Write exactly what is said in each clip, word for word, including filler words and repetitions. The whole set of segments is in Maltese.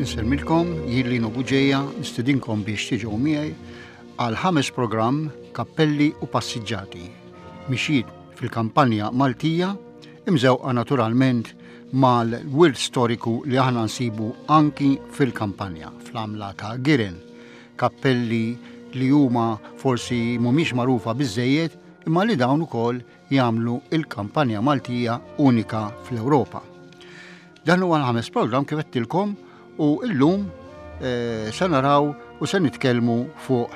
Insellmilkom, jien Lino Buġeja, nistedinkom biex tiġu miegħi għal ħames programm Kappelli u Passiġġati. Mixjiet fil-kampanja Maltija, imżewqa naturalment mal-wirt storiku li aħna nsibu anki fil-kampanja, fl-għamla ta' Giren. Kappelli li huma forsi mhumiex magħrufa biżejjed imma li dawn ukoll jagħmlu il-kampanja Maltija unika fl-Ewropa. Dan huwa l-ħames programm kif għedtilkom u llum eh, se naraw u se nitkellmu fuq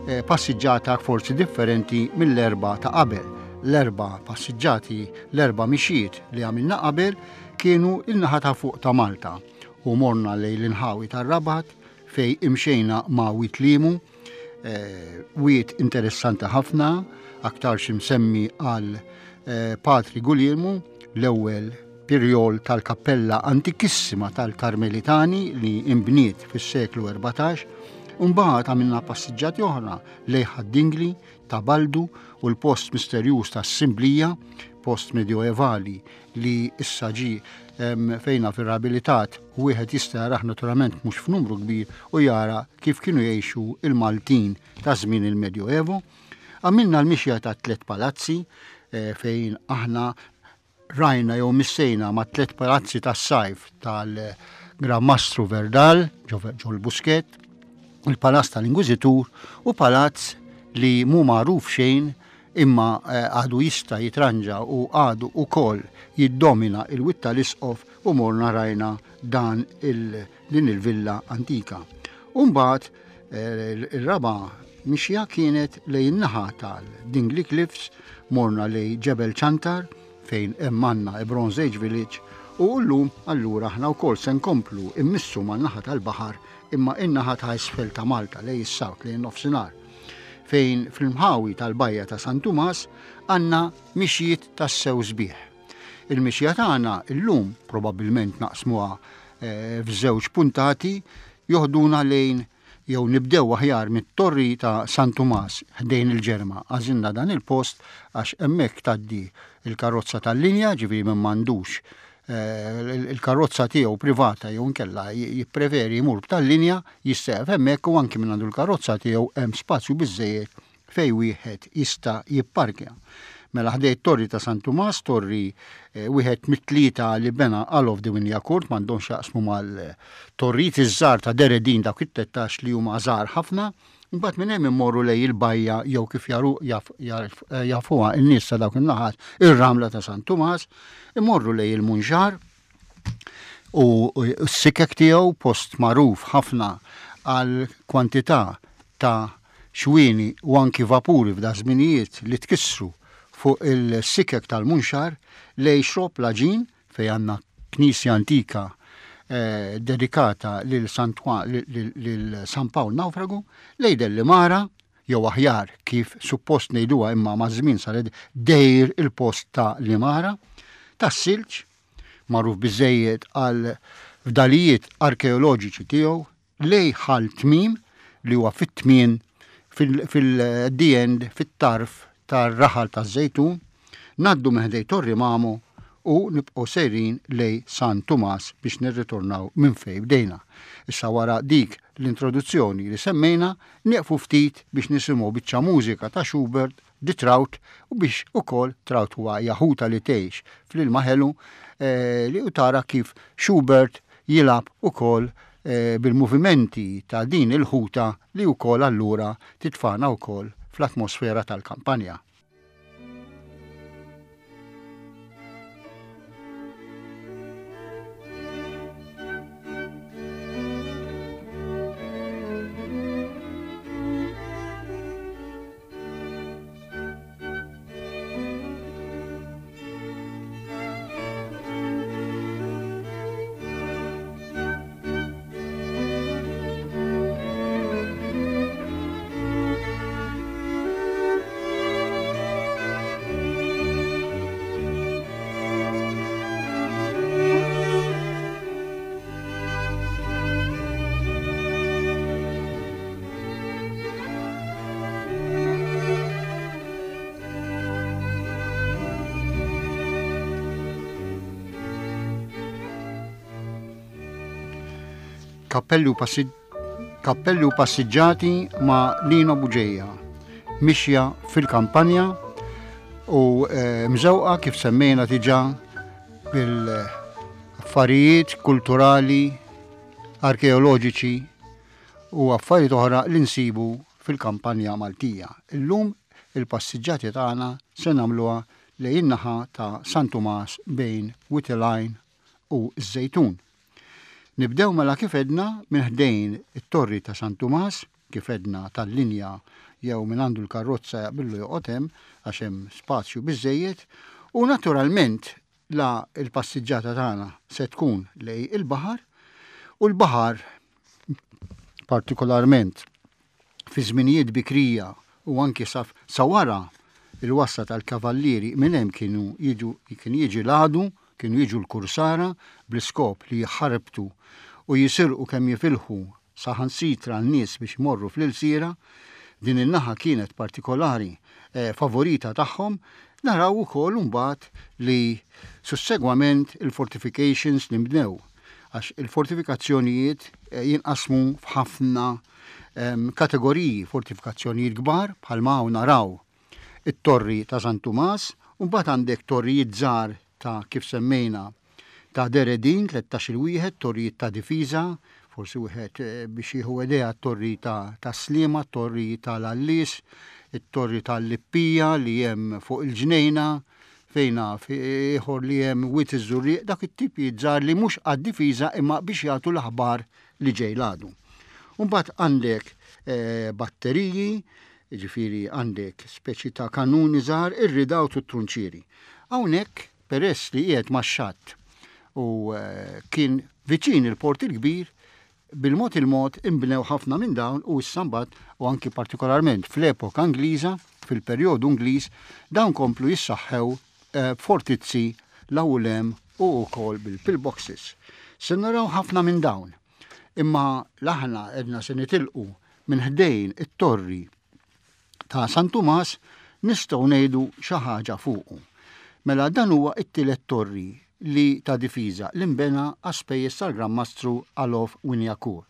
eh, passiġġata forsi differenti mill-erba ta' qabel. L-erba passiġġati, l-erba mixiet li għamilna qabel kienu il-naħa ta' fuq ta' Malta u morna lejn l-inħawi tar-Rabat fej imxejna ma' Wied Limu, eh, wied interessanti ħafna, aktar imsemmi għal eh, Patri Guglielmu, l-ewwel pirjol tal-kappella antikissima tal-Karmelitani li imbniet fis-seklu erbatax. Mbagħad għamilna passiġġati oħra lejn Ħad-Dingli, ta' Baldu u l-post misterjuż tas-Simblija, post medjoevali li issa ġi, em, fejna fir-riabilitat u wieħed jista' jarah naturalment mhux f'numru kbir u jara kif kienu jgħixu il-Maltin ta' żmien il-Medjoevo. Għamilna l-mixja ta' tliet palazzi, eh, fejn aħna rajna jew missejna ma' tliet palazzi tas-sajf tal-Gran Mastru Verdal ġo l-Buskett, il-Palazz tal-Inkwiżitur u palazz li mhu magħruf xejn imma, eh, għadu jista' jitranġa u għadu ukoll jiddomina il-wied tal-Isqof u morna rajna dan il-, din il-villa antika. U mbagħad, eh, il-raba' mixja kienet lejn naħa tal-Dingli Cliffs, morna lejn Ġebel Ċantar fejn hemm għandna Bronze Age Village u llum allura aħna wkoll se nkomplu immissu man-naħa tal-baħar imma in-naħa ta' isfel ta' Malta lejn is-south, lejn nofsinhar, fejn fil-mħawi tal-bajja ta' San Tumas għandna mixjiet tassew sbieħ. Il-mixja tagħna llum probabbilment naqsmuha, eh, f'żewġ puntati joħduna lejn jew nibdew aħjar mit-torri ta' San Tumas ħdejn il-Ġerma. Għażilna dan il-post għax hemmhekk tgħaddi il-karozza tal-linja, ġifieri minn m'għandux, eh, il-, il-karozza tiegħu privata jew inkella j-, jippreferi jmur b'tal-linja, jistaqf hemmhekk u anki minn għandu l-karozza tiegħu hemm spazju biżejjed fejn wieħed jista' jipparkja. Mela ħdejn torri ta' San Tumas, torri, eh, wieħed mit-tlieta li bena Alof de Wignacourt, m'għandhomx jaqsmu mal-torrijiet iż-żgħar ta' Deredin dawk it-tlettax li huma żgħar ħafna. Imbagħad minn hemm immorru lejn il-bajja jew kif jaru, jaf-, jarf-, eh, jafuha n-nies ta' dawk in-naħat ir-ramla ta' San Tumas, immorru lejn il-Munxar u, u s-sikek tiegħu, post magħruf ħafna għal kwantità ta' xwieni u anki vapuri f'da żminijiet li tkissru fuq il-sikek tal-Munxar lejn Xrobb l-Għaġin fejn għandna knisja antika, eh, dedikata lil Santwa-, lil, lil, lil San Pawl Nawfragu, lejn Delimara, jew aħjar kif suppost ngħiduha imma ma' żmien saret dejr il-post ta' Limara, tas-Silġ, magħruf biżejjed għal fdalijiet arkeoloġiċi tiegħu, lejn Ħal Tmim li huwa fit-tmien fil-, fil-the end, fit-tarf tar-raħal taż-Żejtun, ngħaddu minn ħdejn Torri Mamo u nibqgħu sejrin lejn San Tumas biex nirritornaw minn fejn bdejna. Issa wara dik l-introduzzjoni li semmejna, nieqfu ftit biex nisimgħu biċċa mużika ta' Schubert, The Trout, u biex ukoll Trout huwa jaħuta li tgħix fl-ilma ħelu, eh, li u tara kif Schubert jilgħab ukoll, eh, bil-movimenti ta' din il-ħuta li wkoll allura titfana wkoll fl-atmosfera tal-kampanja. Thank Kappelli u passi Kappelli u passiġġati ma' Lino Bugeja. Mixja fil-kampanja u eh, mżewqa kif semmejna diġà bil-affarijiet kulturali, arkeoloġiċi u affarijiet oħra li nsibu fil-kampanja Maltija. Illum il-passiġġati tagħna se nagħmluha lejn in-naħa ta' San Tumas bejn Wied il-Għajn u ż-Żejtun. Nibdew mela kif għedna minn ħdejn it-torri ta' San Tumas, kif għedna tal-linja jew minn għandu l-karozza jaqbillu joqgħod hemm għax hemm spazju biżejjed u naturalment la il-passiġġata tagħna se tkun lejn il-baħar u l-baħar partikolarment fi żminijiet bikrija u anki sa, sa wara il-wasla tal-kavallieri minn hemm kienu jiġu kien jiġi l-għadu, kienu jiġu l-kursara bl-iskop li jħarbtu u jisirqu kemm jifilħu saħansitra n-nies biex imorru fl-ilsira. Din in-naħa kienet partikolari eh, favorita tagħhom. Naraw ukoll imbagħad li sussegwament il-fortifications li nbnew, għax il-fortifikazzjonijiet eh, jinqasmu f'ħafna em, kategoriji: fortifikazzjonijiet kbar bħalma hawn naraw it-torri ta' San Tumas, u mbagħad għandek torrijiet żgħar ta' kif semmejna ta' Deredin, tlettax-il wieħed, torrijiet ta' difiża, forsi wieħed eh, biex jieħu idea torri ta' ta' Sliema, torri tal-Allis, it-torri tal-Lippija li hemm fuq il-ġnejna, fejna ieħor li hemm Wied iż-Żurrieq, dak it-tipi żgħar li mhux għad-difiża imma biex jagħtu l-aħbar li ġej l-għadu. Mbagħad għandek eh, batteriji, ġifieri għandek speċi ta' kanuni żgħar, ir-redoubt u t-trunċieri. Hawnhekk peress li qiegħed max-xatt u eh, kien viċin il-Port il-Kbir, bil-mod il-mod imbnew ħafna minn dawn u issa mbagħad u anki partikolarment fl-epoka Ingliża, fil-perjodu Ingliż, dawn komplu jissaħħew eh, fortizzi l-awlem u wkoll bil-pillboxes. Se naraw ħafna minn dawn. Imma aħna għedna se nitilqu minn ħdejn it-torri ta' San Tumas, nistgħu ngħidu xi ħaġa fuqu. Mela dan huwa it-tielet torri li ta' difiża li nbena għas-spejjeż tal-Gran Mastru Alof Wignacourt.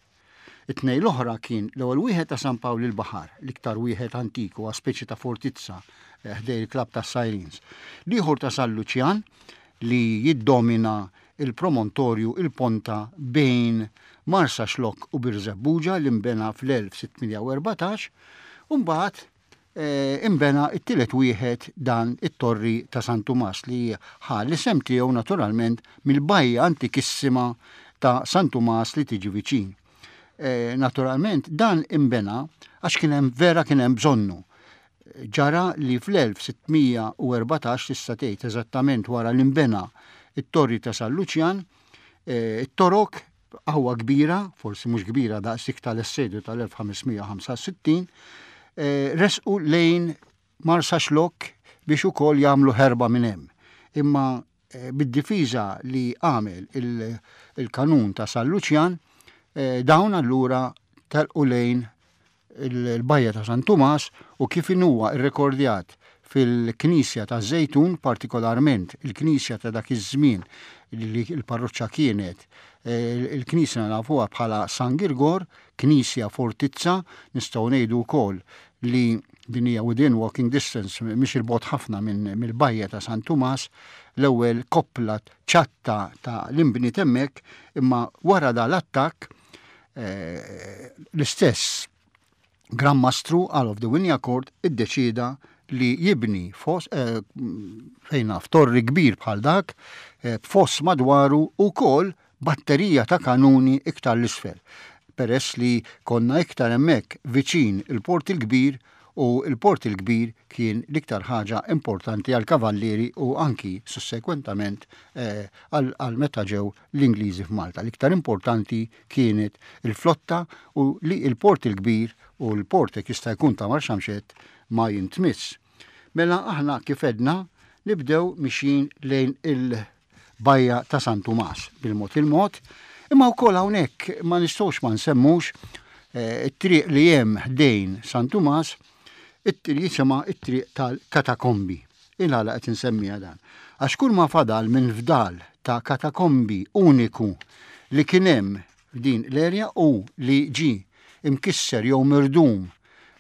It-tnejn l-oħra kien l-ewwel wieħed ta' San Pawl il-Baħar, l-iktar wieħed antik u speċi ta' fortizza eh, ħdej il-Klabb ta' Sirens. L-ieħor ta' San Luċjan li jiddomina il-promontorju, il-ponta bejn Marsaxlokk u Birżebbuġa, li nbena fl-elf sitt mija u erbatax, u mbagħad eh, imbena it-tielet wieħed, dan it-torri ta' San Tumas, li ħa l-isem tiegħu naturalment mill-bajja antikissima ta' San Tumas li tiġi viċin. Eh, naturalment dan imbena għax kien hemm vera kien hemm bżonnu. Ġara li fl-elf sitt mija u erbatax, tista' tgħid eżattament wara li nbena it-torri ta' San Luċjan, eh, it-Torok qawwa kbira, forsi mhux kbira daqs tal-assedju tal-elf ħames mija u ħamsa u sittin, eh, resqu lejn Marsaxlokk biex ukoll jagħmlu ħerba minn hemm. Imma eh, bid-difiża li għamel il-kanun ta' San Luċjan, eh, dawn allura telqu lejn il-bajja ta' San Tumas u kif huwa irrekordjat fil-Knisja ta' Żejtun, partikolarment il-Knisja ta' dak iż-żmien li l-parroċċa kienet il-Knisja nafuha bħala San Girgor, Knisja Fortizza, nistgħu ngħidu wkoll li din hija within walking distance, mhix il-bogħod ħafna minn mill-bajja ta' San Tumas, l-ewwel koppla ċatta ta' l-imbniet hemmhekk, imma wara da l-attakk eh, l-istess Gran Mastru Alof de Wignacourt iddeċida li jibni fos, eh, fejna f'torri kbir bħal dak, eh, b'foss madwaru u kol batterija ta' kanuni iktar l-isfel. Peress li konna iktar hemmhekk viċin il-Port il-Kbir u il-Port il-Kbir kien l-iktar ħaġa importanti għal kavallieri u anki sussekwentament eh, għal meta ġew l-Ingliżi f'Malta. L-iktar importanti kienet il-flotta u li il-Port il-Kbir u l-port jista' jkun ta' Marsamxett ma jintmiss. Mela aħna kif għedna nibdew mixjin lejn il-bajja ta' San Tumas bil-mod il-mod, imma wkoll hawnhekk ma nistgħux ma nsemmux eh, it-triq li hemm ħdejn San Tumas, it-triq jisimha it-triq tal-Katakombi. Il-għala qed insemmiha dan? Għax kull ma fadal minn fdal ta' katakombi uniku li kien hemm f'din l-erja u li ġi imkisser jew mirdum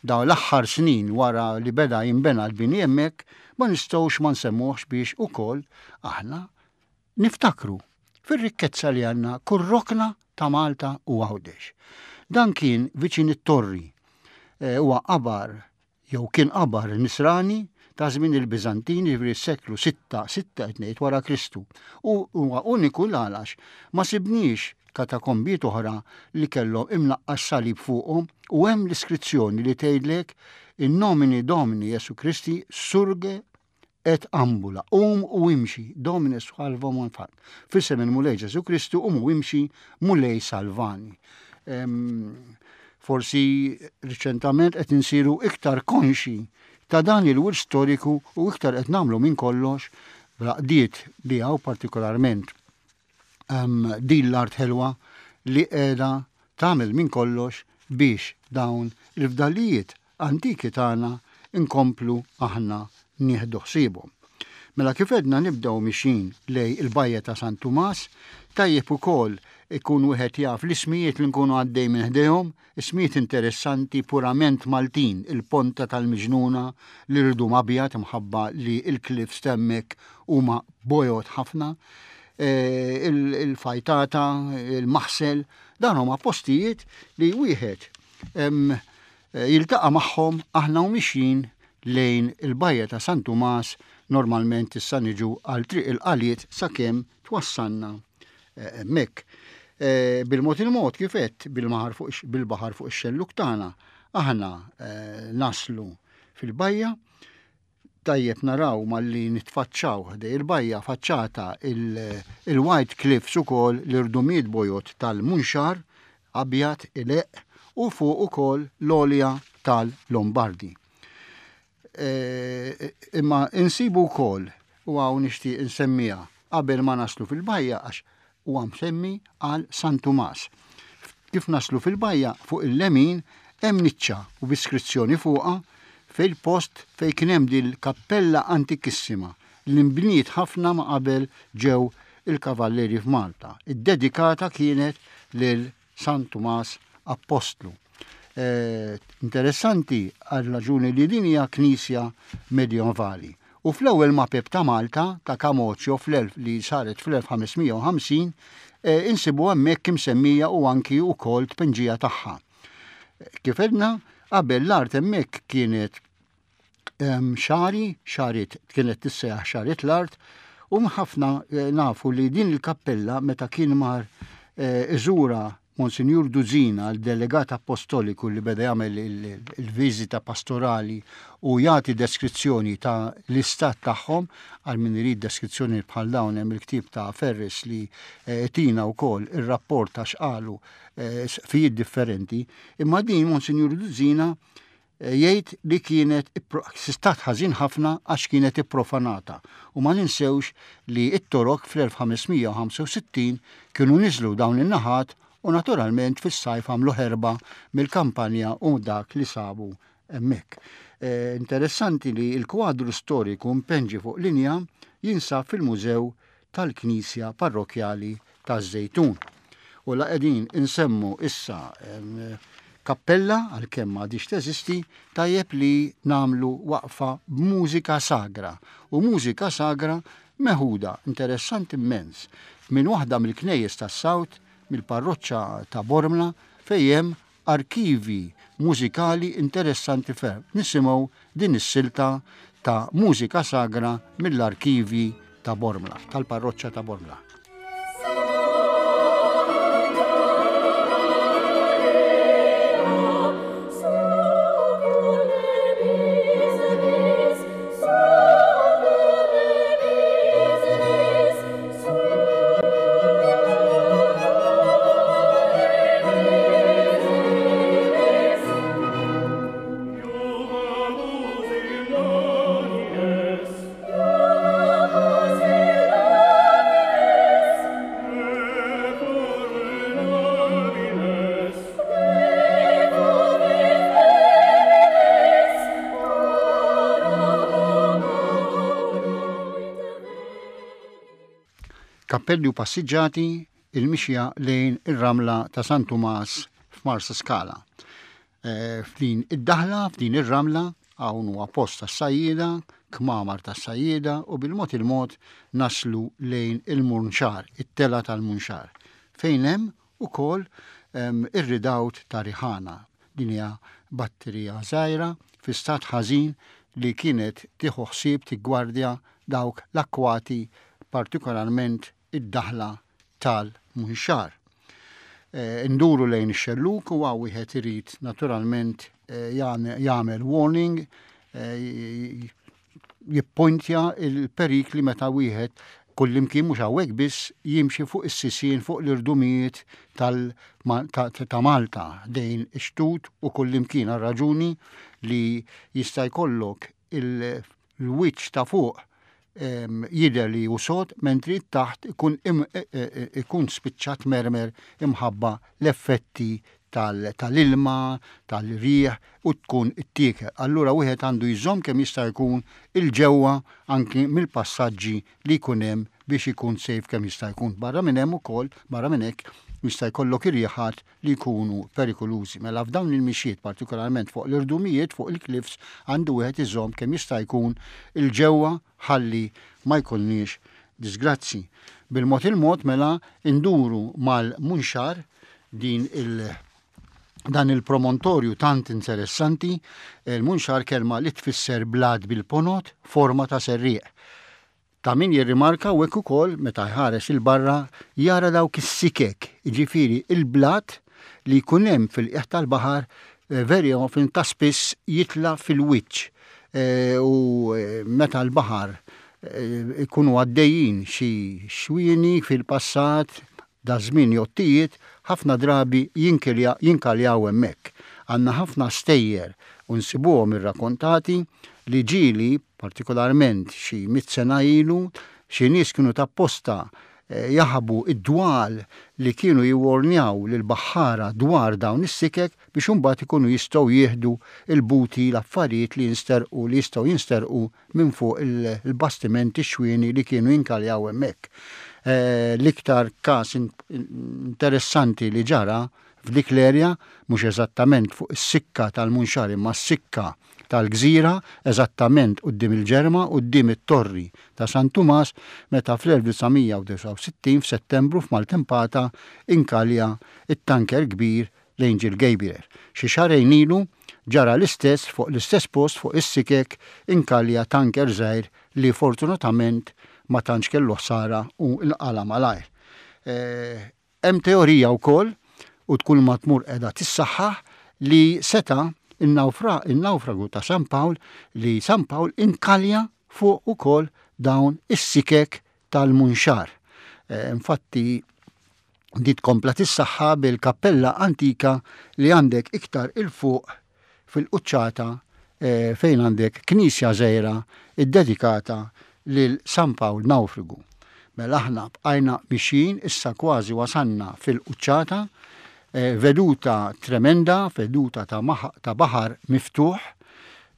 dawn l-aħħar snin wara li beda jinbena l-bini hemmhekk, ma nistgħux ma nsemmuhx biex ukoll aħna niftakru fir-rikkezza li għandna kull rokna ta' Malta u Għawdex. Dan kien viċin it-torri, huwa qabar jew kien qabar nisrani ta' żmien il-Biżantini, jiġifieri s-seklu sitta, sitta qed ngħid wara Kristu. U huwa uniku l-għalax ma sibniex katakombiet oħra li kellhom imnaqqax salib fuqhom u hemm l-iskrizzjoni li tgħidlek in nomine Domini Jesu Christi surge et ambula, um u imxi, Domine salva manfat. F'isem il-Mulej Ġesu Kristu, um u imxi, Mulej salvani. Forsi riċentament qed insiru iktar konxi ta' dan il-wirt storiku u iktar qed nagħmlu minn kollox bl-għaqdiet li hawn partikolarment din l-art ħelwa li qiegħda tagħmel minn kollox biex dawn il-fdalijiet antiki tagħna inkomplu aħna nieħdu ħsiebhom. Mela kif edna nibdew mixin lej il-bajja ta' San Tumas, tajjeb ukoll ikun wieħed jaf l-ismijiet li nkunu għaddej minn ħdejhom, ismijiet interessanti purament Maltin, il-Ponta tal-Miġnuna, l-Irdum Abjad imħabba li l-cliffs t'hemmhekk huma bojod ħafna, il-Fajtata, il-Maħsel, dan huma postijiet li wieħed jiltaqa' magħhom aħna u mixjin lejn il-bajja ta' San Tumas. Normalment issa niġu għal triq il-Qaliet sakemm twassalna hemmhekk. Bil-mod il-mod kif għedt bil-baħar fuq ix-xelluk tagħna aħna naslu fil-bajja. Tajjeb naraw malli nitfaċċaw ħdej il-bajja faċċata il-White Cliffs ukoll l-irdumiet bojod tal-Munxar abjad ileq u fuq ukoll l-olja tal-Lombardi. Imma insibu wkoll u hawn nixtieq insemmija qabel ma naslu fil-bajja għax huwa msemmi għal San Tumas. Kif naslu fil-bajja fuq il-lemin hemm niċċa u biskrizzjoni fuqha fil-post fejn kien hemm dil-kappella antikissima li nbniet ħafna ma qabel ġew il-kavallieri f'Malta. Iddedikata kienet lil San Tumas Appostlu. Interessanti għal raġuni li din hija knisja medjevali. U fl-ewwel mapep ta' Malta ta' Camoccio fl-elf li saret fl-elf ħames mija u ħamsin insibu hemmhekk imsemmija u anki wkoll tpinġija tagħha. Kif edna, qabel l-art hemmhekk kienet xari, xarit kienet tissejjaħ xarit l-art, u ħafna nafu li din il-kappella meta kien mar iżura Monsignor Duzina, l-delegat apostoliku li beda jagħmel il-viżita pastorali u jagħti deskrizzjoni ta' l-istat tagħhom, għal min irid deskrizzjoni bħal dawn hemm il-ktieb ta' Ferris li tina wkoll ir-rapport ta' x'qalu sqfijiet differenti, imma din Monsignor Duzina jgħid li kienet stat ħażin ħafna għax kienet ipprofanata. U ma ninsewx li t-Torok fl-elf ħames mija u ħamsa u sittin kienu niżlu dawn in-naħat u naturalment fis-sajf għamlu ħerba mill-kampanja u dak li sabu hemmhekk. Interessanti li l-kwadru storiku mpenġi fuq linja jinsab fil-Mużew tal-Knisja Parrokjali taż-Żejtun. U la qegħdin insemmu issa kappella għalkemm m'għadix teżisti, tajjeb li namlu waqfa b'mużika sagra. U mużika sagra meħuda interessanti immens minn waħda mill-knejjes tas-Sawt, mill-parroċċa ta' Bormla, fejn hemm arkivi mużikali interessanti ferm. Nisimgħu din is-silta ta' mużika sagra mill-arkivi ta' Bormla, tal-parroċċa ta' Bormla. Kappelli u passiġġati, il-mixja lejn ir-ramla ta' San Tumas f'Marsaskala. Eh, f'din id-daħla, f'din ir-ramla, hawn huwa post tas-sajjieda, kmamar tas-sajjieda u bil-mod il-mod naslu lejn il-Munxar, it-tela tal-Munxar, fejn hemm ukoll ir-redoubt ta' Riħana. Din hija batterija żgħira fi stat ħażin li kienet tieħu ħsieb tiggwardja dawk l-akkwati, partikolarment id-daħla tal-Munxar. Eh, nduru lejn ix-xelluk u hawn wieħed irid naturalment eh, jagħmel warning, eh, jippointja il-perikli meta wieħed kullimkien, mhux hawnhekk biss, jimxi fuq is-sisien, fuq l-irdumijiet ta' Malta dejn ix-xtut u kullimkien, għal raġuni li jista' jkollok il-wiċċ ta' fuq jidher li hu sod, mentri taħt ikun e, e, e, ikun spiċċat mermer imħabba l-effetti tal-ilma, tal-riħ u tkun ittiekel. Allura wieħed għandu jżomm kemm jista' jkun il-ġewwa anki mill-passaġġi li jkun hemm biex ikun safe kemm jista' jkun. Barra minn hemm ukoll, barra minn hekk, jista' jkollok irjiħat li jkunu perikolużi. Mela f'dawn il-mixjiet, partikolarment fuq l-irdumijiet, fuq il-cliffs, għandu wieħed iżomm kemm jista' jkun il-ġewwa ħalli ma jkollniex disgrazzi. Bil-mod il-mod mela induru mal-Munxar, din il- dan il-promontorju tant interessanti. Il-Munxar, kelma li tfisser blat bil-ponot, forma ta' serrieq. Ta' min jirrimarka u hekk ukoll meta jħares il-barra jara dawk is-sikek, jiġifieri il-blat li jkun hemm fil-qiegħ tal-baħar, eh, very often, ta' spiss jitla fil-wiċċ eh, u eh, meta l-baħar ikunu għaddejjin xi xwieni fil-passat, da żmien jottijiet, ħafna drabi jinkaljaw hemmhekk. Għandna ħafna stejjer u nsibuhom irrakkontati li ġieli, partikolarment xi mitt sena ilu, xi nies kienu tapposta eh, jaħbu id-dwal li kienu jiwornjaw lil baħħara dwar dawn is-sikek biex imbagħad ikunu jistgħu jieħdu il-booty, l-affarijiet li jinsterqu, li jistgħu jinsterqu minn fuq il-bastimenti xwieni li kienu jinkaljaw hemmhekk. Eh, l-iktar każ interessanti li ġara f'dik l-erja, mhux eżattament fuq is-sikka tal-Munxar imma s-sikka tal-Gżira, eżattament quddiem il-Ġerma, quddiem it-Torri ta' San Tumas, meta fl-elf disa' mija u disgħa u sittin f'Settembru f'maltempata inkalja it-tanker kbir l-Angel Gabriel. Xi xahrejn ilu ġara l-istess fuq l-istess post, fuq is-sikek inkalja tanker żgħir li fortunatament ma tantx kellu ħsara u nqala malajr. Eh, hemm teorija wkoll, u tkun ma tmur qiegħda tissaħħaħ, li seta il-nawfragu ta' San Pawl, li San Pawl inkalja fuq ukoll dawn is-sikek tal-Munxar. Eh, infatti di tkompla tissaħħa bil-kappella antika li għandek iktar il-fuq fil-quċċata, eh, fejn għandek knisja żgħira iddedikata lil San Pawl Nawfrigu. Mela aħna bqajna mixjin, issa kważi wasanna fil-quċċata, eh, veduta tremenda, veduta ta', ta' baħar miftuħ,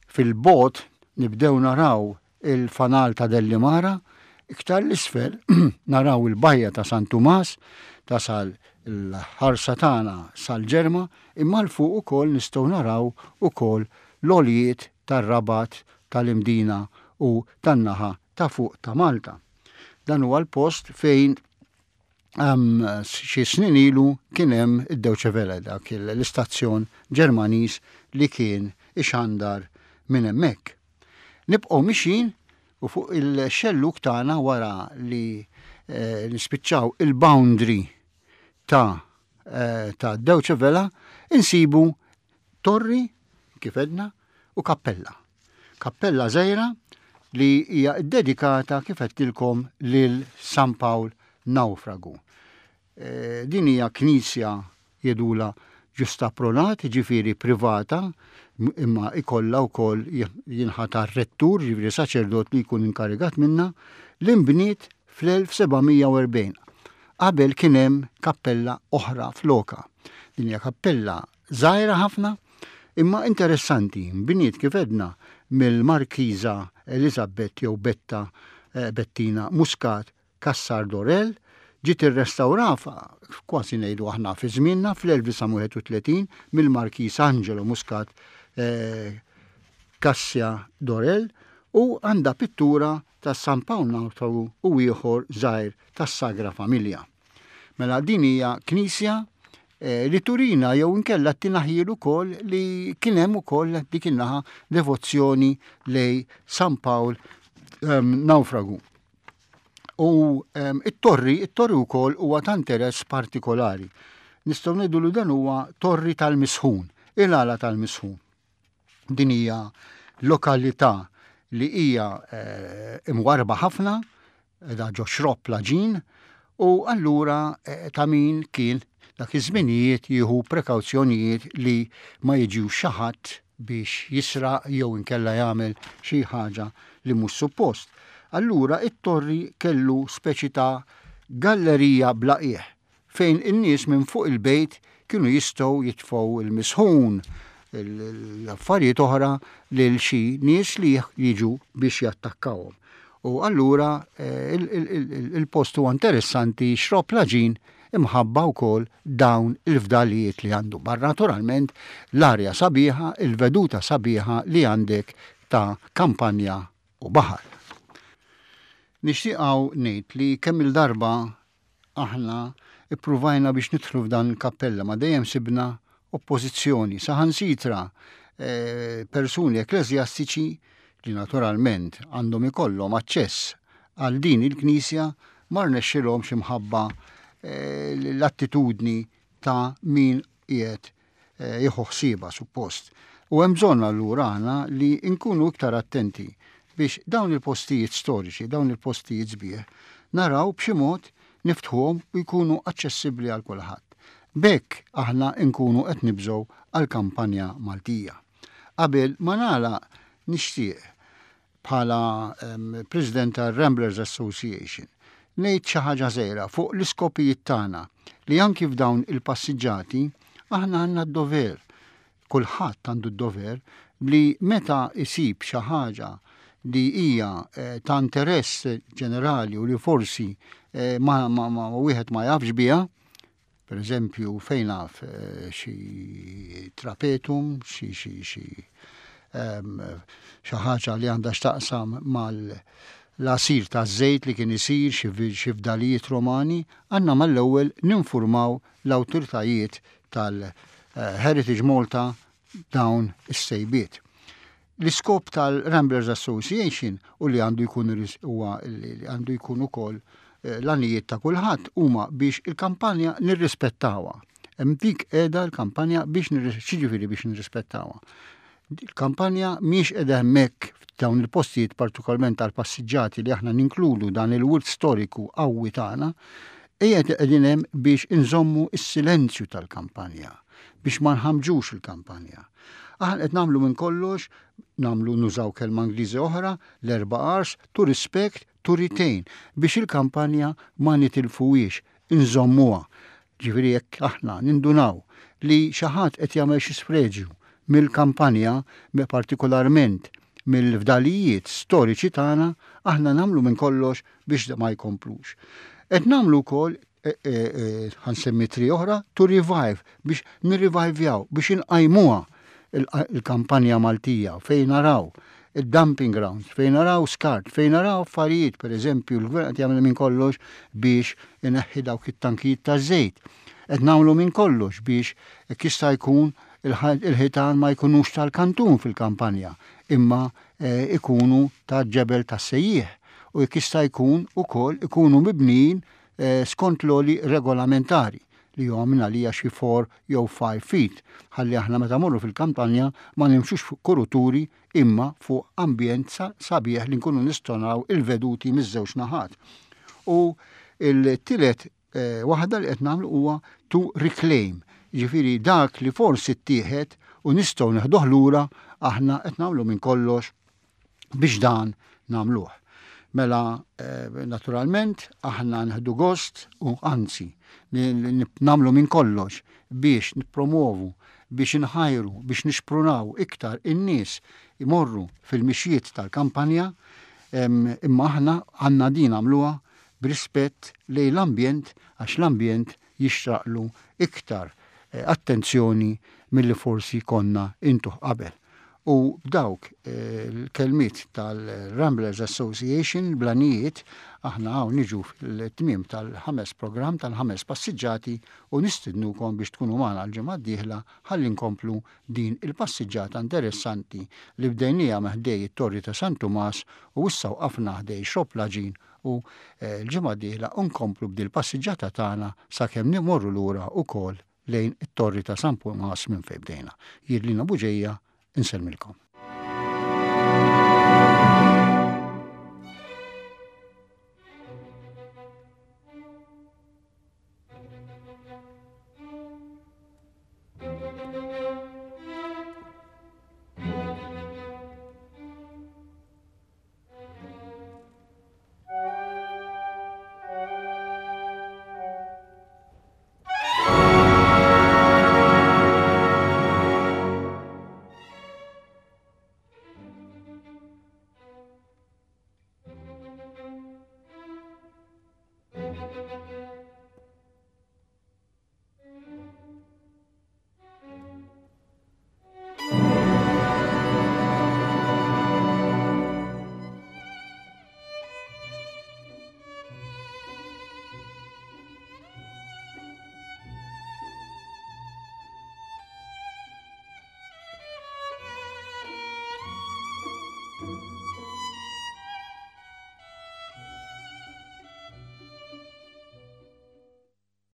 fil-bogħod nibdew naraw il-fanal ta' Dellimara, iktar l-isfel naraw il-bajja ta' San Tumas, tasal il-ħarsa tagħna sal-Ġerma, imma 'l fuq ukoll nistgħu naraw ukoll l-għoljiet tar-Rabat, tal-Imdina u tan-naħa ta' fuq ta' Malta. Dan huwa l-post fejn um, xi snin ilu kien hemm id-Deutsche Welle, dak l-istazzjon Ġermaniż li kien ixandar minn hemmhekk. Nibqgħu mixin u fuq il-xelluk tagħna, wara li eh, nispiċċaw il-boundary ta' eh, ta' Deutsche Welle, insibu torri, kif għedna, u kappella. Kappella żgħira li hija dedikata, kif għedtilkom, lil San Pawl Naufragu. Eh, din hija knisja jgħidulha ġusta pronat, ġifieri privata, imma ikolla wkoll jinħatar rettur, ġifieri saċerdot li jkun inkarigat minna, li nbniet fl-elf seba' mija u erbgħin. Qabel kien hemm kappella oħra floka. Din hija kappella żgħira ħafna, imma interessanti, nbniet, kif għedna, mill-Markiża Elizabeth jew Betta eh, Bettina Muscat Cassar Dorel. Ġiet irrestawrata kważi ngħidu aħna fi żmienna fl-elf disa' mija u wieħed u tletin mill-Markis Angelo Muscat eh, Cassia Dorell u għandha pittura ta' San Pawl Nawfragu u ieħor żgħir tas-Sagra Familja. Mela din hija knisja eh, li turina jew inkella ttina ħjiel ukoll li kien hemm ukoll dik in-naħa devozzjoni lej San Pawl um, Nawfragu. U um, it-torri, it-torri wkoll huwa ta' interess partikolari. Nistgħu ngħidu li dan huwa torri tal-Misħun, il-għala tal-Misħun. Din hija lokalità li hija eh, imwarba ħafna, da ġo Xrobb l-Għaġin, u allura eh, ta' min kien dak iż-żminijiet jieħu prekawzjonijiet li ma jiġux xi ħadd biex jisraq jew inkella jagħmel xi ħaġa li mhux suppost. Allura it-torri kellu speċi ta' gallerija bla qiegħ fejn in-nies minn fuq il-bejt kienu jistgħu jitfgħu il-misħun, l-affarijiet oħra lil xi nies li jiġu biex jattakkawhom. U allura eh, il-post huwa interessanti, Xrobb l-Għaġin, imħabba wkoll dawn il-fdalijiet li għandu. Barra naturalment l-arja sabiħa, il-veduta sabiħa li għandek ta' kampanja u baħar. Nixtieq ngħid li kemm il-darba aħna ippruvajna biex nidħlu f'dan il-kappella, ma dejjem sibna oppożizzjoni, saħansitra eh, persuni ekklesjastiċi li naturalment għandhom ikollhom aċċess għal din il-knisja ma rnexxilhomx imħabba eh, l-attitudni ta' min qiegħed eh, jieħu ħsiebha suppost. U hemm bżonn allura aħna li nkunu iktar attenti biex dawn il-postijiet storiċi, dawn il-postijiet sbieħ, naraw b'xi mod niftħuhom u jkunu aċċessibbli għal kulħadd. B'hekk aħna nkunu qed nibżgħu għal kampanja Maltija. Qabel ma nagħlaq, nixtieq bħala um, President tal-Ramblers Association ngħid xi ħaġa żgħira fuq l-iskopijiet tagħna li anki f'dawn il-passiġġati aħna għandna d-dover, kulħadd għandu d-dover li meta isib xi ħaġa li hija eh, ta' interess ġenerali u li forsi eh, ma, ma, ma wieħed ma jafx biha, per eżempju fejn naf eh, xi trapetum, xi xi xi xi ħaġa li għandha x'taqsam mal l-għasir ta' żejt li kien isir, xi fdalijiet Romani, għandna mal-ewwel ninfurmaw l-awtoritajiet tal-Heritage Malta dawn is-sejbiet. L-iskop tal-Ramblers Association u li għandu jkun huwa li għandu jkun ukoll eh, l-għanijiet ta' kulħadd huma biex il-kampanja nirrispettawha. Hemm dik qiegħda l-kampanja biex, xiġifieri biex nirrispettawha? Il-kampanja mhix qiegħda hemmhekk f'dawn il-postijiet, partikolarment tal-passiġġati li aħna ninkludu dan il-wirt storiku qawwi tagħna, qiegħed qegħdin hemm biex inżommu s-silenzju tal-kampanja, biex ma nħamġux il-kampanja. Aħna qed nagħmlu minn kollox, nagħmlu, nużaw kelma Ingliżi oħra, l-erba' Rs, to respect, to retain, biex il-kampanja ma nitilfuhiex, inżommuha. Ġifieri jekk aħna nindunaw li xi ħadd qed jagħmel xi sfreġju mill-kampanja, partikolarment mill-fdalijiet storiċi tagħna, aħna nagħmlu minn kollox biex ma jkomplux. Qed nagħmlu wkoll e, e, e, ħa nsemmi three oħra, to revive, biex nirrevivjaw, biex inqajmuha il-kampanja Maltija fejn naraw il-dumping grounds, fejn naraw skart, fejn naraw affarijiet, per eżempju, l-gvern qed jagħmel minn kollox biex ineħħi dawk it-tankijiet ta' żejt. Qed nagħmlu minn kollox biex jista' jkun il-ħitan ma jkunux tal-kantun fil-kampanja, imma eh, ikunu ta' ġebel ta' sejjieħ u jekk jista' jkun ukoll ikunu mibnijin eh, skont l-għoli regolamentari li huwa minn għalija xi four jew five feet, ħalli aħna meta morru fil-kampanja ma nimxux fuq kuruturi imma fuq ambjent sabiħ li nkunu nistgħu naraw il-veduti miż-żewġ naħat. U il-tielet eh, waħda li qed nagħmlu huwa to reclaim, ġifieri dak li forsi ttieħed u nistgħu neħduh lura, aħna qed nagħmlu minn kollox biex dan nagħmluh. Mela, eh, naturalment, aħna nħdu gost u anzi, nagħmlu minn kollox biex nippromovu, biex nħajru, biex nixprunaw iktar in-nies imorru fil-mixjiet tal-kampanja, imma aħna għandna din nagħmluha b'rispett lejn l-ambjent, għax l-ambjent jixraqlu iktar eh, attenzjoni milli forsi konna intuh qabel. U b'dawk eh, l-kelmiet tal-Ramblers Association blanijiet, aħna hawn niġu fil-tmiem tal-ħames programm tal-ħames passiġġati u nistidnukom biex tkunu magħna l-ġimgħa d-dieħla ħalli nkomplu din il-passiġġata interessanti li bdejnija ħdejn it-Torri ta' San Tumas u issa waqafna ħdejn Xrobb l-Għaġin u eh, l-ġimgħa d-dieħla nkomplu b'dil passiġġata tagħna sakemm nimorru lura wkoll lejn it-Torri ta' San Tumas minn fejn bdejna. Jien Lino Bugeja, insellmilkom.